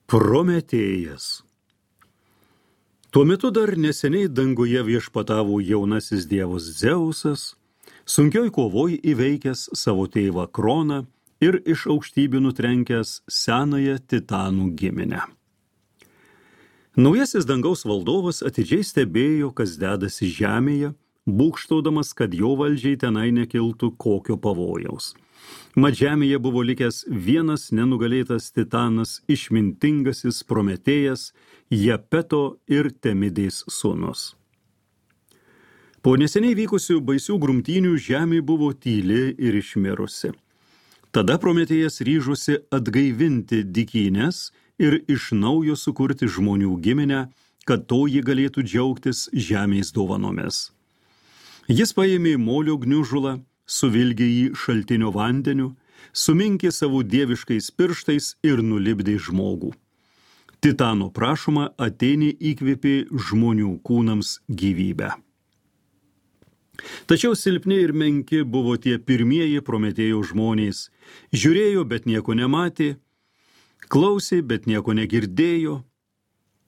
Prometėjas. Tuo metu dar neseniai danguje viešpatavo jaunasis dievas Dzeusas, sunkioj kovoj įveikęs savo tėvą Kroną ir iš aukštybių nutrenkęs senąją Titanų giminę. Naujasis dangaus valdovas atidžiai stebėjo, kas dedasi žemėje, būgštaudamas, kad jo valdžiai tenai nekiltų kokio pavojaus. Mat žemėje buvo likęs vienas nenugalėtas titanas, išmintingasis Prometėjas, Japeto ir Temidės sūnus. Po neseniai vykusių baisių grumtynių žemė buvo tyli ir išmirusi. Tada Prometėjas ryžosi atgaivinti dykynės ir iš naujo sukurti žmonių giminę, kad toji galėtų džiaugtis žemės dovanomis. Jis paėmė molio gniužulą, suvilgė jį šaltinio vandeniu, suminkė savo dieviškais pirštais ir nulipdė žmogų. Titano prašoma Atėnė įkvėpė žmonių kūnams gyvybę. Tačiau silpni ir menki buvo tie pirmieji Prometėjo žmonės. Žiūrėjo, bet nieko nematė, klausė, bet nieko negirdėjo.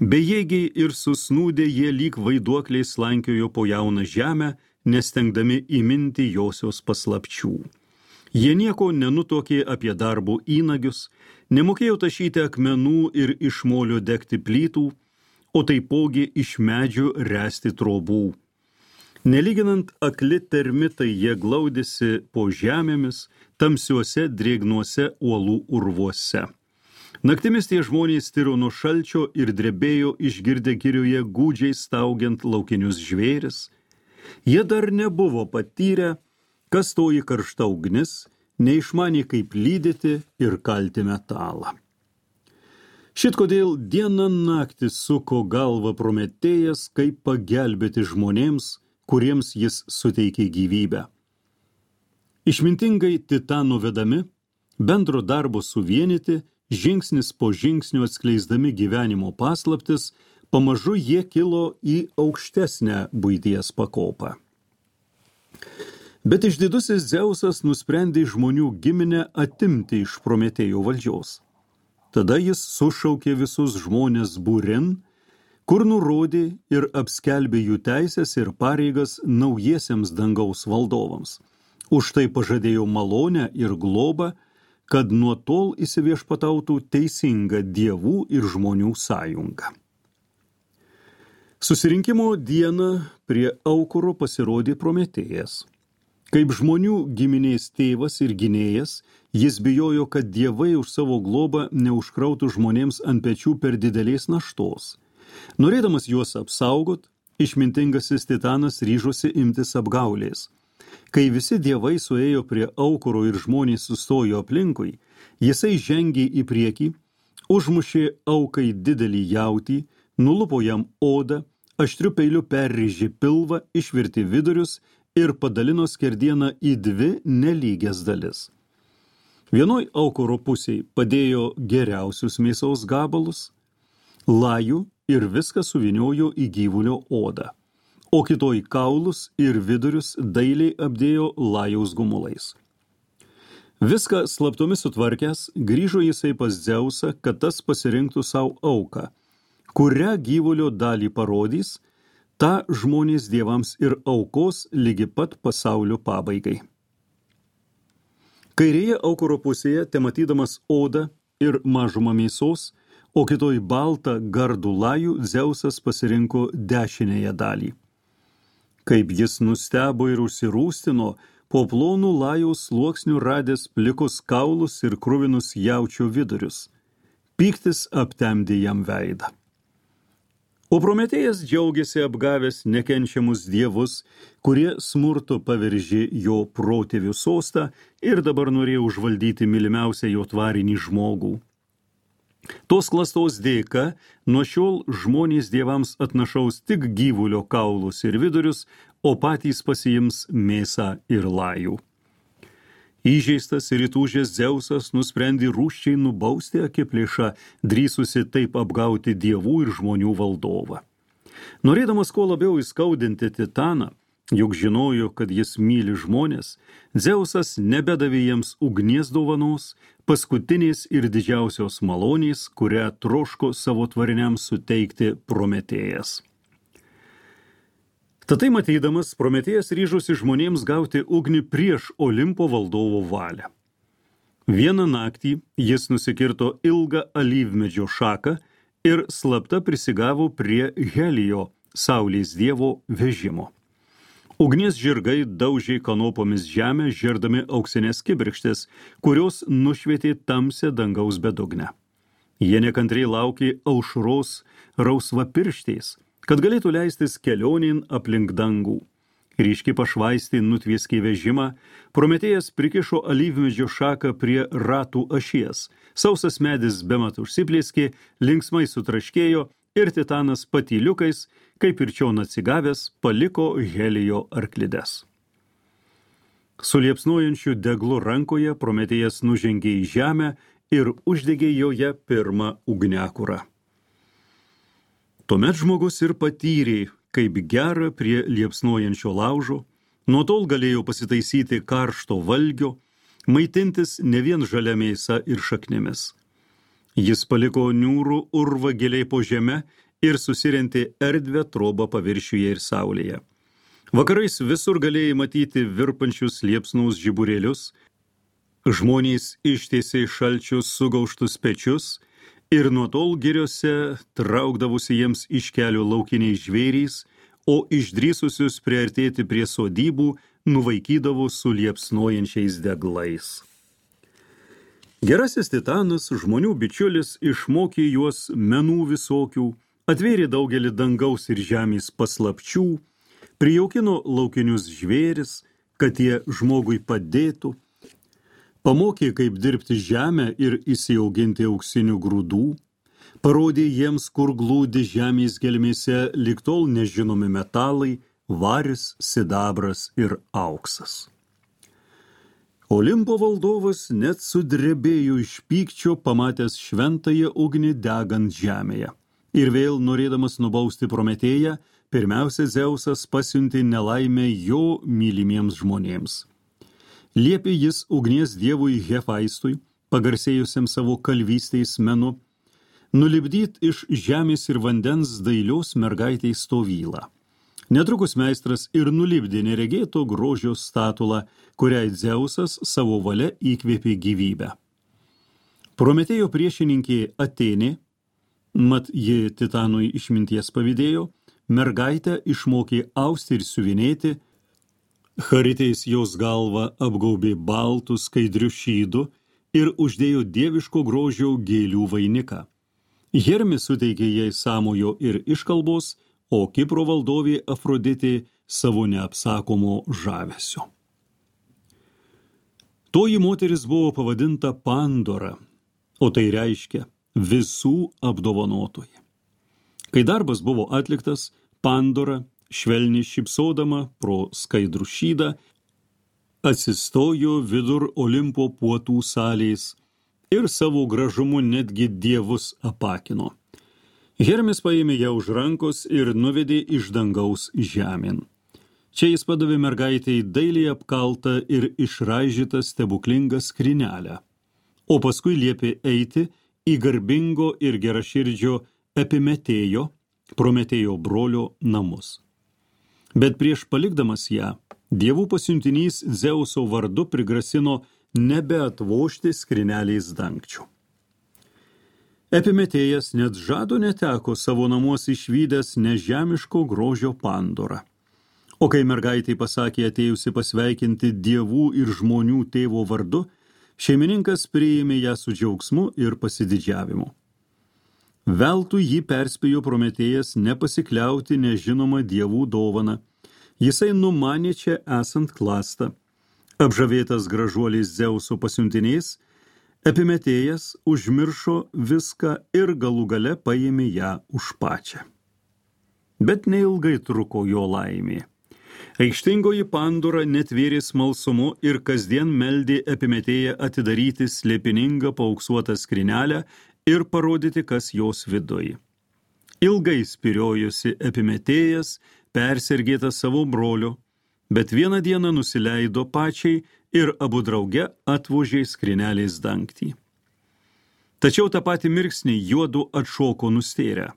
Bejėgiai ir susnūdę jie lyg vaiduokliai slankiojo po jauną žemę, nestengdami įminti josios paslapčių. Jie nieko nenutokė apie darbo įnagius, nemokėjo tašyti akmenų ir iš molio degti plytų, o taipogi iš medžių ręsti trobų. Nelyginant akli termitai jie glaudėsi po žemėmis, tamsiuose drėgnuose uolų urvuose. Naktimis tie žmonės tiro nuo šalčio ir drebėjo išgirdę girioje gūdžiai staugiant laukinius žvėris. Jie dar nebuvo patyrę, kas toji karšta ugnis, neišmanė kaip lydyti ir kalti metalą. Šit kodėl dieną naktį suko galvą Prometėjas, kaip pagelbėti žmonėms, kuriems jis suteikė gyvybę. Išmintingai Titanų vedami, bendro darbo suvienyti, žingsnis po žingsnio atskleisdami gyvenimo paslaptis, pamažu jie kilo į aukštesnę buities pakopą. Bet išdidusis Dzeusas nusprendė žmonių giminę atimti iš Prometėjo valdžios. Tada jis sušaukė visus žmones būrin, kur nurodė ir apskelbė jų teisės ir pareigas naujiesiems dangaus valdovams. Už tai pažadėjo malonę ir globą, kad nuo tol įsiviešpatautų teisinga dievų ir žmonių sąjunga. Susirinkimo dieną prie aukuro pasirodė Prometėjas. Kaip žmonių giminės tėvas ir gynėjas, jis bijojo, kad dievai už savo globą neužkrautų žmonėms ant pečių per didelės naštos. Norėdamas juos apsaugot, išmintingasis Titanas ryžosi imtis apgaulės. Kai visi dievai suėjo prie aukuro ir žmonės sustojo aplinkui, jisai žengė į priekį, užmušė aukai didelį jautį, nulupo jam odą, aštriu peiliu perrėžė pilvą, išvirtė vidurius ir padalino skerdieną į dvi nelygias dalis. Vienoj aukuro pusėj padėjo geriausius mėsos gabalus, lajų ir viską suvyniojo į gyvulio odą, o kitoj kaulus ir vidurius dailiai apdėjo lajaus gumulais. Viską slaptomis sutvarkęs, grįžo jisai pas Dzeusą, kad tas pasirinktų savo auką, kurią gyvulio dalį parodys, tą žmonės dievams ir aukos ligi pat pasaulio pabaigai. Kairėje aukuro pusėje, tematydamas odą ir mažumą mėsos, o kitoj baltą gardų lajų, Dzeusas pasirinko dešinėje dalį. Kaip jis nustebo ir užsirūstino, po plonų lajaus sluoksnių radęs plikus kaulus ir kruvinus jaučio vidurius. Pyktis aptemdė jam veidą. O Prometėjas džiaugiasi apgavęs nekenčiamus dievus, kurie smurtu paveržė jo protėvių sostą ir dabar norėjo užvaldyti mylimiausią jo tvarinį žmogų. Tos klastos dėka nuo šiol žmonės dievams atnašaus tik gyvulio kaulus ir vidurius, o patys pasiims mėsą ir lajų. Įžeistas ir įtūžęs Dzeusas nusprendė rūsčiai nubausti akiplėšą, drįsusi taip apgauti dievų ir žmonių valdovą. Norėdamas kuo labiau įskaudinti Titaną, Juk žinojo, kad jis myli žmonės, Dzeusas nebedavė jiems ugnies dovanos, paskutinės ir didžiausios malonės, kurią troško savo tvariniams suteikti Prometėjas. Tatai matydamas, Prometėjas ryžosi žmonėms gauti ugnį prieš Olimpo valdovo valią. Vieną naktį jis nusikirto ilgą alyvmedžio šaką ir slapta prisigavo prie Helijo, saulės dievo, vežimo. Ugnies žirgai daužė kanopomis žemę, žerdami auksinės kibirkštis, kurios nušvietė tamsią dangaus bedugnę. Jie nekantriai laukė aušros rausvapirštės, kad galėtų leistis kelionėn aplink dangų. Ryškiai pašvaistė nutvieskė vežimą, Prometėjas prikišo alyvmedžio šaką prie ratų ašies, sausas medis bemat užsiplėskė, linksmai sutraškėjo ir Titanas patyliukais, kaip ir čion atsigavęs, paliko Helijo arklides. Su liepsnojančiu deglu rankoje Prometėjas nužengė į žemę ir uždegė joje pirmą ugniakurą. Tuomet žmogus ir patyrė, kaip gera prie liepsnojančio laužo, nuo tol galėjo pasitaisyti karšto valgio, maitintis ne vien žalia mėsa ir šaknimis. Jis paliko niūrų urvą giliai po žeme ir susirentė erdvę trobą paviršiuje ir saulėje. Vakarais visur galėjai matyti virpančius liepsnaus žiburėlius, žmonės ištiesė šalčius sugauštus pečius ir nuo tol giriose traukdavusi jiems iš kelių laukiniai žvėrys, o išdrįsusius priartėti prie sodybų nuvaikydavo su liepsnojančiais deglais. Gerasis Titanas, žmonių bičiulis, išmokė juos menų visokių, atvėrė daugelį dangaus ir žemės paslapčių, prijaukino laukinius žvėris, kad jie žmogui padėtų, pamokė, kaip dirbti žemę ir įsiauginti auksinių grūdų, parodė jiems, kur glūdi žemės gelmėse ligtol nežinomi metalai, varis, sidabras ir auksas. Olimpo valdovas net sudrebėjo iš pykčio, pamatęs šventąją ugnį degant žemėje. Ir vėl, norėdamas nubausti Prometėją, pirmiausia Dzeusas pasiuntė nelaimę jo mylimiems žmonėms. Liepė jis ugnies dievui Hefaistui, pagarsėjusiam savo kalvystės menu, nulipdyt iš žemės ir vandens dailios mergaitės stovylą. Netrukus meistras ir nulipdė neregėto grožio statulą, kuriai Dzeusas savo valia įkvėpė gyvybę. Prometėjo priešininkė Atėnė, mat ji Titanui išminties pavydėjo, mergaitę išmokė austi ir siuvinėti, Charitės jos galvą apgaubė baltų skaidrių šydu ir uždėjo dieviško grožio gėlių vainiką. Hermis suteikė jai sąmojo ir iškalbos, o Kipro valdovė Afroditė savo neapsakomo žavesio. Toji moteris buvo pavadinta Pandora, o tai reiškia visų apdovanotoji. Kai darbas buvo atliktas, Pandora, švelniai šypsodama pro skaidrų šydą, atsistojo vidur Olimpo puotų salės ir savo gražumu netgi dievus apakino. Hermis paėmė ją už rankos ir nuvedė iš dangaus žemėn. Čia jis padavė mergaitei dailiai apkaltą ir išraižytą stebuklingą skrynelę, o paskui liepė eiti į garbingo ir geraširdžio Epimetėjo, Prometėjo brolio namus. Bet prieš palikdamas ją, dievų pasiuntinys Dzeuso vardu prigrasino nebeatvožti skrynelės dangčių. Epimetėjas net žado neteko savo namuos išvydęs nežemiško grožio Pandorą. O kai mergaitė pasakė atėjusi pasveikinti dievų ir žmonių tėvo vardu, šeimininkas priėmė ją su džiaugsmu ir pasididžiavimu. Veltui jį perspėjo Prometėjas nepasikliauti nežinomą dievų dovaną. Jisai numanė čia esant klastą. Apžavėtas gražuoliais Dzeuso pasiuntiniais, Epimetėjas užmiršo viską ir galų gale paėmė ją už pačią. Bet neilgai truko jo laimė. Aikštingoji Pandora netvėrė smalsumu ir kasdien meldė Epimetėją atidaryti slėpiningą paauksuotą skrynelę ir parodyti, kas jos viduj. Ilgai spiriojusi Epimetėjas, persergėtas savo brolio, bet vieną dieną nusileido pačiai ir abu drauge atvožė skrynelės dangtį. Tačiau tą patį mirksnį juodu atšoko nustėrę.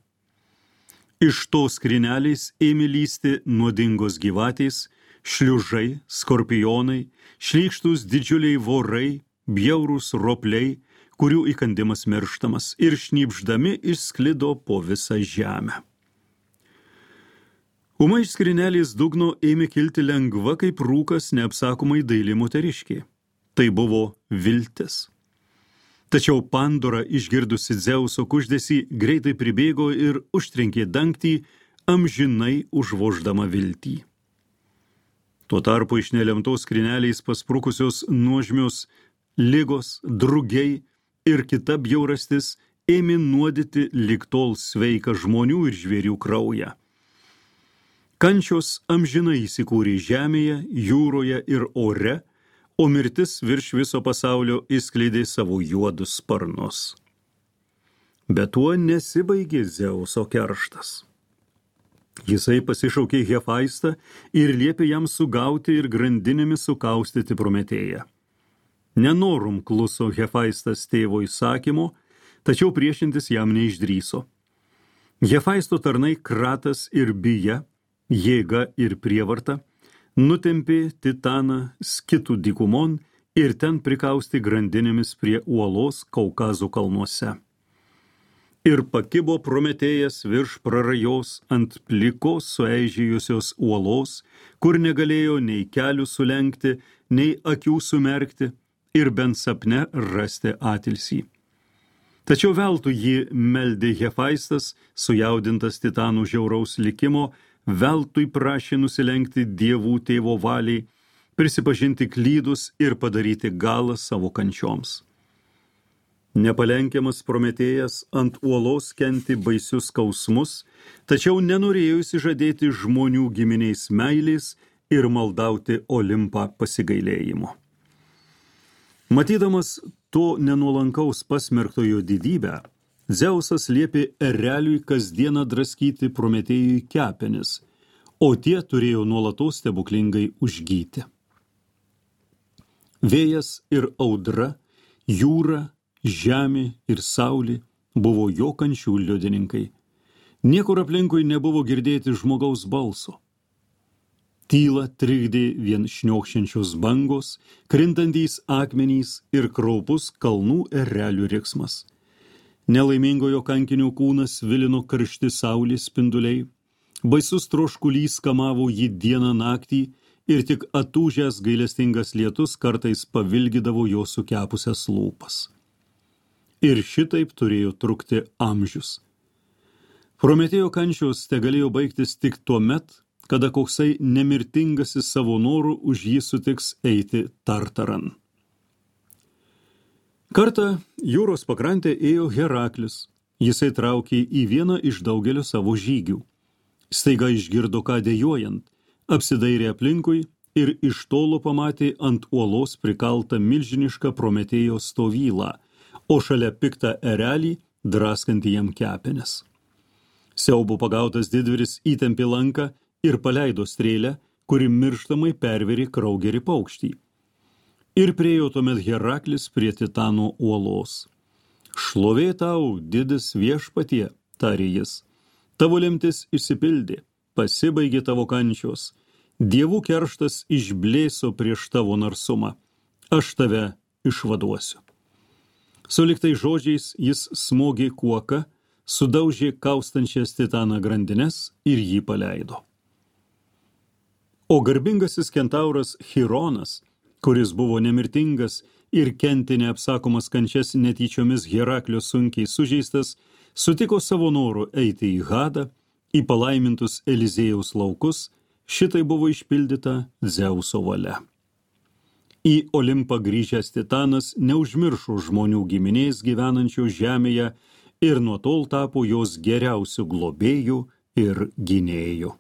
Iš to skrynelės ėmė lysti nuodingos gyvatės, šliužai, skorpionai, šlykštus didžiuliai vorai, bjaurūs ropliai, kurių įkandimas mirštamas, ir šnypšdami išsklido po visą žemę. Ūmai iš skrynelės dugno ėmė kilti lengva kaip rūkas neapsakomai daili moteriškė. Tai buvo viltis. Tačiau Pandora, išgirdusi Dzeuso kuždesį, greitai pribėgo ir užtrenkė dangtį, amžinai užvoždama viltį. Tuo tarpu iš nelemtos skrynelės pasprukusios nuožmios ligos, drugiai ir kita bjaurastis ėmė nuodyti lig tol sveiką žmonių ir žvėrių kraują. Kančios amžinai įsikūrė žemėje, jūroje ir ore, o mirtis virš viso pasaulio įskleidė savo juodus sparnus. Bet tuo nesibaigė Dzeuso kerštas. Jisai pasišaukė Hefaistą ir liepė jam sugauti ir grandinėmis sukaustyti Prometėją. Nenorum kluso Hefaistas tėvo įsakymo, tačiau priešintis jam neišdryso. Hefaisto tarnai Kratas ir Bija, jėga ir prievarta, nutempė Titaną Skitų dykumon ir ten prikausti grandinėmis prie uolos Kaukazo kalnuose. Ir pakibo Prometėjas virš prarajos ant plikos sueižėjusios uolos, kur negalėjo nei kelių sulenkti, nei akių sumerkti ir bent sapne rasti atilsį. Tačiau veltui jį meldė Hefaistas, sujaudintas Titanų žiauraus likimo, veltui prašė nusilenkti dievų tėvo valiai, prisipažinti klydus ir padaryti galą savo kančioms. Nepalenkiamas Prometėjas ant uolos kenti baisius skausmus, tačiau nenorėjo išsižadėti žmonių giminiais meilės ir maldauti Olimpą pasigailėjimo. Matydamas to nenuolankaus pasmerktojo didybę, Dzeusas liepė ereliui kasdieną draskyti Prometėjui kepenis, o tie turėjo nuolatos stebuklingai užgyti. Vėjas ir audra, jūra, žemė ir saulė buvo jo kančių liudininkai. Niekur aplinkui nebuvo girdėti žmogaus balso. Tylą trikdė vien šniokščiančios bangos, krintantys akmenys ir kraupus kalnų erelių riksmas. Nelaimingojo kankinio kūnas vilino karšti saulės spinduliai, baisus troškulys kamavo jį dieną naktį ir tik atūžęs gailestingas lietus kartais pavilgydavo jo sukepusias lūpas. Ir šitaip turėjo trukti amžius. Prometėjo kančios tegalėjo baigtis tik tuomet, kada koksai nemirtingasis savo norų už jį sutiks eiti Tartaran. Kartą jūros pakrantę ėjo Heraklis. Jisai traukė į vieną iš daugelio savo žygių. Staiga išgirdo ką dejojant, apsidairė aplinkui ir iš tolo pamatė ant uolos prikaltą milžinišką Prometėjo stovylą, o šalia piktą erelį draskantį jam kepenis. Siaubo pagautas didvyris įtempė lanką ir paleido strėlę, kuri mirštamai pervėrė kraugerį paukštį. Ir priėjo tuomet Heraklis prie Titano uolos. Šlovė tau, didis viešpatie, tarė jis. Tavo lemtis išsipildė, pasibaigė tavo kančios. Dievų kerštas išblėso prieš tavo narsumą. Aš tave išvaduosiu. Suliktai žodžiais jis smogė kuoką, sudaužė kaustančias Titaną grandines ir jį paleido. O garbingasis kentauras Chironas, kuris buvo nemirtingas ir kentė neapsakomas kančias netyčiomis Heraklio sunkiai sužeistas, sutiko savo noru eiti į Hadą, į palaimintus Eliziejaus laukus, šitai buvo išpildyta Dzeuso valia. Į Olimpą grįžęs Titanas neužmiršo žmonių giminės gyvenančių žemėje ir nuo tol tapo jos geriausių globėjų ir gynėjų.